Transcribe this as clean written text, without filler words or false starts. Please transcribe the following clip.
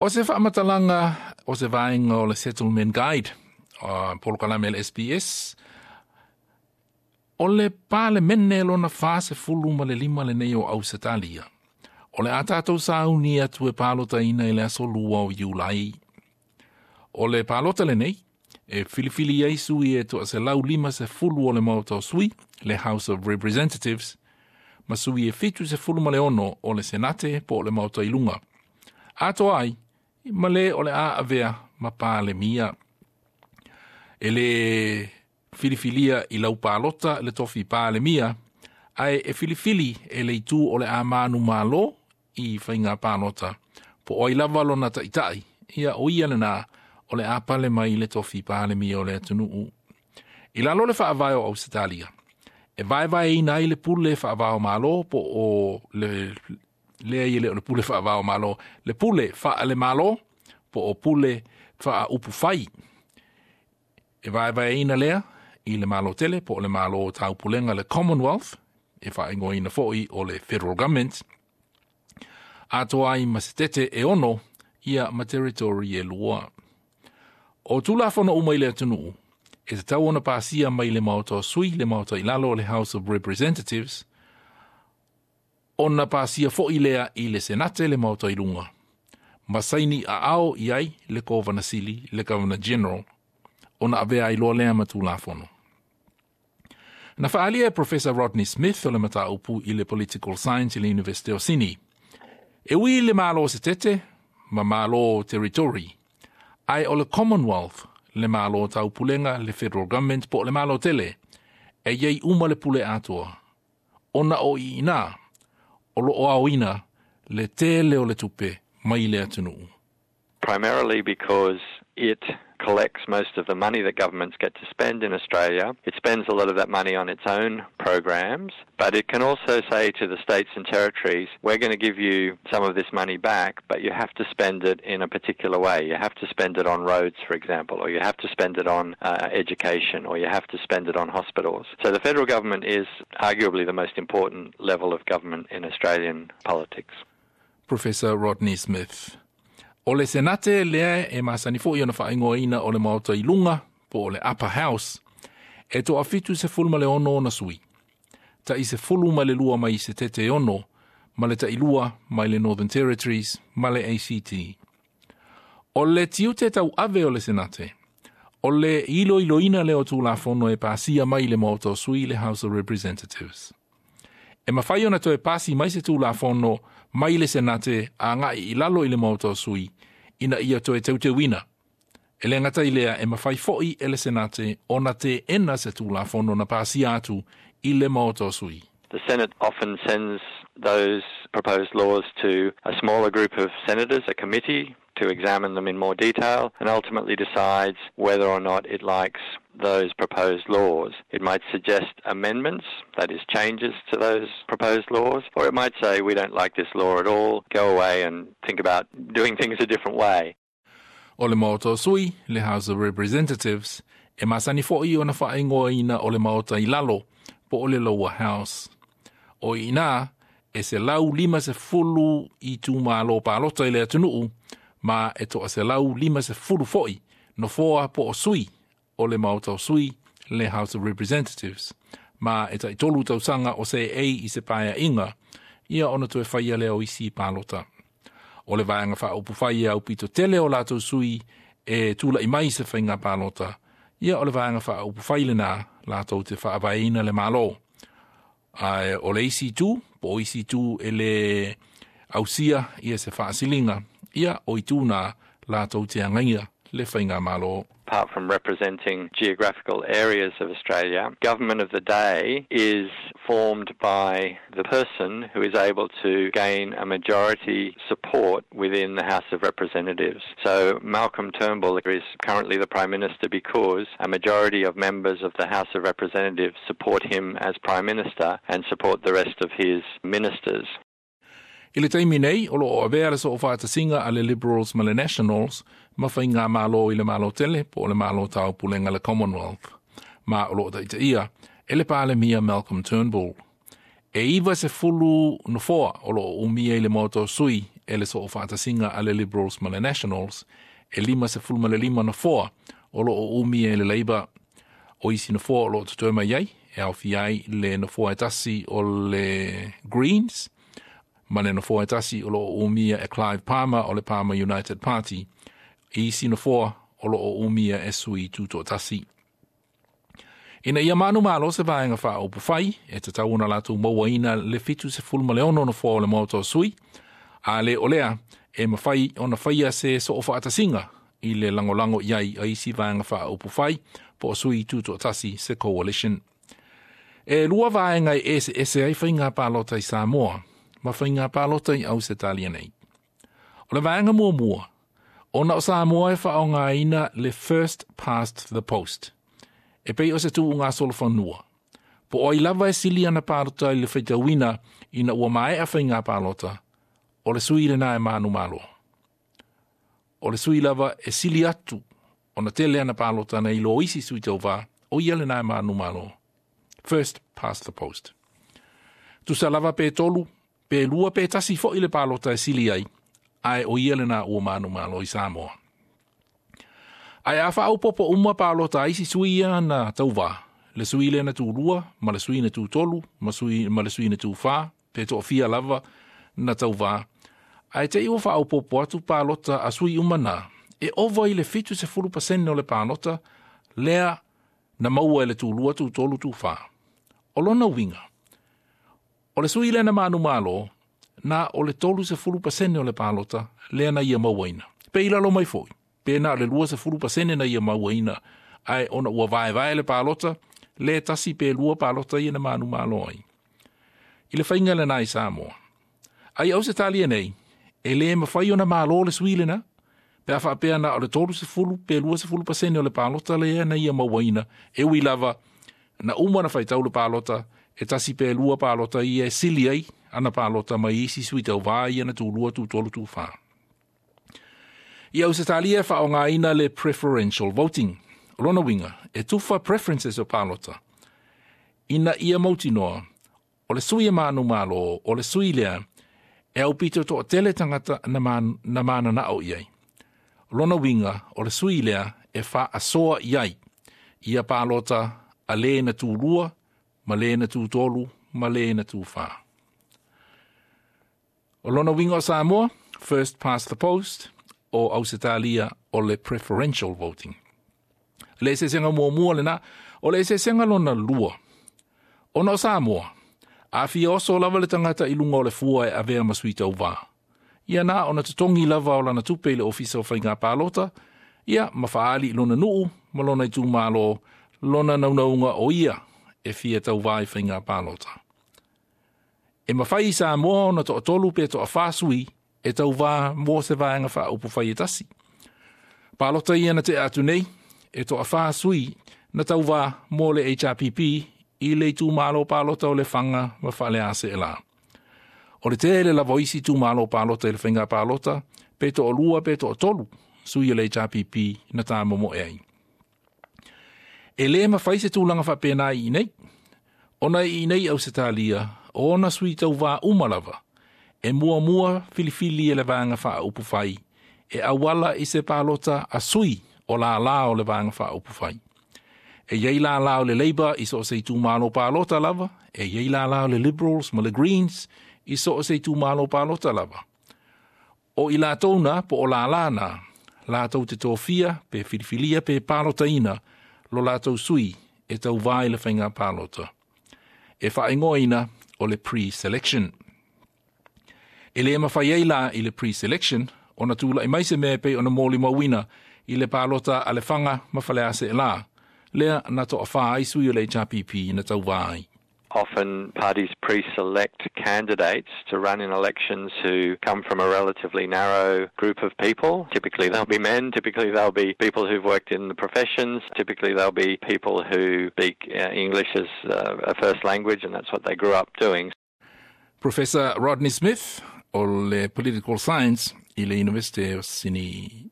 O se faamatalaga o se vaega o le Settlement Guide, polokalame a le SBS, o le Palemene lona 45 lenei o Ausetalia. O le a tatou sauni atu e palotaina i le aso 2 o Iulai. O le palota lenei, e filifili ai sui e 150 o le Maota o Sui, le House of Representatives, ma sui e 76 o le Senate po o le Maota i luga. Atoa ai, ma le o le a avea ma Palemia. E le filifilia i lau palota le tofi Palemia, ae e filifili e le itu o le a manumalo i faiga palota. Po o ai lava lona ta'ita'i, ia o ia lena o le a pale mai le tofi Palemia o le atunuu. I lalo le faavae o Ausetalia, e vaevaeina ai le pule faavao malo po o le lea i le o le pule faavao malo, le pule faalemalo po o pule faaupufai. E vaevaeina lea i le malo tele po o le malo o taupulega le Commonwealth, e faaigoaina fo'i o le Federal Government, atoa ai ma setete e 6 ia ma territory e 2. O Tulafono uma i le atunuu, e tatau ona pasia mai le Maota o Sui, le Maota i lalo o le House of Representatives, ona pasia fo'i lea i le Senate le Maota i luga. Ma saini aao i ai le Kovana Sili, le Governor General, ona avea ai loa lea ma Tulafono. Na faaalia e Professor Rodney Smith o le mataupu i le Political Science i le University o Sydney. E ui i le malo setete ma malo territory, ae o le Commonwealth, le malo taupulega, le Federal Government po o le malo tele, e iai uma le pule atoa. Ona o i ina, o lo o aoina le tele o le tupe mai le atunuu. Primarily because it collects most of the money that governments get to spend in Australia. It spends a lot of that money on its own programs, but it can also say to the states and territories, we're going to give you some of this money back, but you have to spend it in a particular way. You have to spend it on roads, for example, or you have to spend it on education, or you have to spend it on hospitals. So the federal government is arguably the most important level of government in Australian politics. Professor Rodney Smith. O le Senate lea e masani fo'i ona faaigoaina o le Maota i luga po o le Upper House, e 76 ona sui. Tai 12 mai setete 6, ma le tai 2 mai le Northern Territories ma le ACT. O le tiute tauave o le Senate, o le iloiloina lea o Tulafono e pasia mai le Maota o Sui, le House of Representatives. E mafai ona toe pasi mai se Tulafono mai le Senate agai i lalo i le Maota o Sui ina ia toe teuteuina. E le gata i lea e mafai fo'i e le Senate ona teena se Tulafono na pasia atu i le Maota o Sui. The Senate often sends those proposed laws to a smaller group of senators, a committee, to examine them in more detail and ultimately decides whether or not it likes those proposed laws. It might suggest amendments, that is, changes to those proposed laws, or it might say, we don't like this law at all, go away and think about doing things a different way. O le Maota o Sui, le House of Representatives, e masani fo'i ona faaigoaina o le Maota i lalo, po o le Lower House. O i ina, e 150 itumalo palota i le atunuu, ma e 150 fo'i, nofoa po o sui o le Maota o Sui, le House of Representatives. Ma e tai 3 tausaga o seei i se paeaiga, ia ona toe faia lea o isi palota. O le vaega faaupufai e aupito tele o latou sui e tula'i mai se faiga palota, ia o le vaega faaupufai lena latou te faavaeina le malo. Ae o le isi itu, po o isi itu e le ausia ia se faasiliga, ia o itu na latou te agaia le faiga malo. Apart from representing geographical areas of Australia, government of the day is formed by the person who is able to gain a majority support within the House of Representatives. So Malcolm Turnbull is currently the Prime Minister because a majority of members of the House of Representatives support him as Prime Minister and support the rest of his ministers. I le taimi nei, o lo o avea le soofaatasiga a le Liberals ma le Nationals ma faiga malo i le malo tele po o le malo taupulega le Commonwealth. Ma o lo o taitaia e le Palemia Malcolm Turnbull. E 90 nofoa o lo o umia i le Maota o Sui e e le soofaatasiga a le Liberals ma le Nationals, e 55 nofoa o loo umia e le Labour. O isi nofoa o loo totoe mai ai e aofia ai le nofoa e tasi o le Greens ma le nofoa e tasi o loo umia e Clive Palmer o le Palmer United Party. Isi nofoa o loo umia e sui tutoatasi. Ina ia manumalo se vaega faaupufai, e tatau ona latou mauaina le 76 nofoa o le Maota o Sui, a le o lea e mafai ona faia se soofaatasiga i le lagolago i ai a isi vaega faaupufai po o sui tutoatasi, se coalition. E lua vaega e eseese ai faiga palota i Samoa ma faiga palota i Ausetalia nei. O le vaega muamua, ona o Samoa e faaaogaina le first past the post. E pei o se tuugasolofanua. Po o ai lava e sili ana palota i le faitauina ina ua maea faiga palota, o le sui lena e manumalo. O le sui lava e sili atu ona tele ana palota nai lo isi sui tauvā, o ia lena e manumalo. First past the post. Tusa lava pe tolu, pe lua pe tasi foi le palota e sili ai, ae o ia lena ua manumalo i Samoa. Ae a faaopoopo uma palota a isi sui ia na tauvā, le sui lea na tulua, ma le sui na tutolu, ma le sui na tufā, pe toafia lava na tauvā, ae te i ua faaopoopo atu palota a sui uma na, e ova i le 70% o le palota lea na maua e le tulua, tutolu, tufā. O lona uiga, o le sui lea na manumalo, na o le 30% o le palota lea na ia mauaina. Pe i lalo mai foi, pe na o le 20% na ia mauaina, ae ona ua vaevae le palota, le tasi pe lua palota ia na manumalo ai. I le faiga lena i Samoa. Ae i Ausetalia nei, e lē mafai ona malo le sui lena, pe a faapea na o le 30 pe 20% o le palota lea na ia mauaina, e ui lava na uma na faitau le palota, e tasi pe lua palota ia e sili ai ana palota mai isi sui tauvā ia na tulua, tutolu, tufā. I Ausetalia e faaaogaina le preferential voting. O lona uiga, e tufa preferences o palota ina ia mautinoa, o le sui e manumalo, o le sui lea, e aupito toatele tagata na mananao i ai. O lona uiga, o le sui lea e faasoa i ai, ia palota a le na tulua, ma le na tutolu, ma le na tufā. O lona uiga o Samoa, first past the post, o Ausetalia o le preferential voting. Le eseesega muamua lena, o le eseesega lona lua. Ona o Samoa, a fia oso lava le tagata i luga o le fua e avea ma sui tauvā. Ia na ona totogi lava o lana tupe i le ofisa o faiga palota, ia ma faaali i lona nuu ma lona itumalo, lona naunauga o ia e fia tauvā i faiga palota. E mafai i Samoa ona toatolu pe toafā sui e tauvā mo se vaega faaupufai e tasi. Palota ia na tea atu nei, e toafā sui na tauvā mo le HRPP i le itumalo palota o Lefaga ma Faleaseelā. O le tele lava o isi itumalo palota i le faiga palota, pe toalua pe toatolu sui o le HRPP na tāmomoe ai. E lē mafai se tulaga faapena i inei. Ona i inei Ausetalia, o ona sui tauvā uma lava, e muamua filifili e le vaega faaupufai, e auala i se palota a sui o lālā o le vaega faaupufai. E i ai lālā o le Labour i so o se itumalo palota lava, e i ai lālā o le Liberals ma le Greens i so o se itumalo palota lava. O i latou na, po o lālā na, latou te tofia, pe filifilia pe palotaina, lo latou sui e tauvā i le faiga palota. E faaigoaina o le pre-selection. E lē mafai ai la i le pre-selection ona tula'i mai se mea e pei ona molimauina i le palota a Lefaga ma Faleaseelā, lea na toafā ai sui o le HRPP na tauvā ai. Often parties pre-select candidates to run in elections who come from a relatively narrow group of people. Typically they'll be men, typically they'll be people who've worked in the professions, typically they'll be people who speak English as a first language, and that's what they grew up doing. Professor Rodney Smith o le Political Science i le University of Sydney.